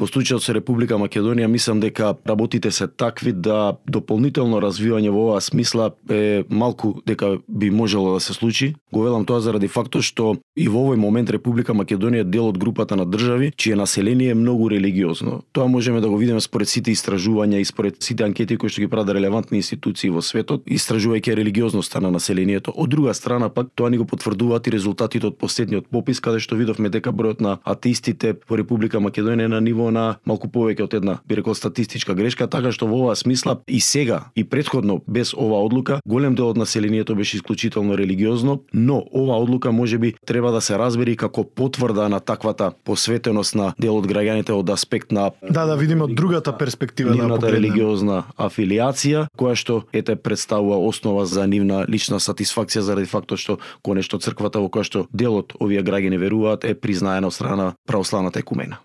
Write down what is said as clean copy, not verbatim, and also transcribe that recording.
По случајот со Република Македонија мислам дека работите се такви да дополнително развивање во оваа смисла е малку дека би можело да се случи. Го велам тоа заради фактот што и во овој момент Република Македонија е дел од групата на држави чие население е многу религиозно. Тоа можеме да го видиме според сите истражувања и според сите анкети кои што ги прават релевантни институции во светот, истражувајќи религиозноста на населението. Од друга страна пак тоа ни го потврдуваат и резултатите од последниот попис каде што видовме дека бројот на атеистите во Република Македонија е на ниво на малку повеќе од една, би рекол, статистичка грешка, така што во оваа смисла и сега и претходно без оваа одлука голем дел од населението беше исклучително религиозно, но оваа одлука можеби треба да се разбери како потврда на таквата посветеност на дел од граѓаните од аспект на да видиме од другата перспектива на религиозна афилиација, која што представува основа за нивна лична сатисфакција заради фактот што конечно црквата во која што дел од овие граѓани веруваат е признаена од страна православната екумена.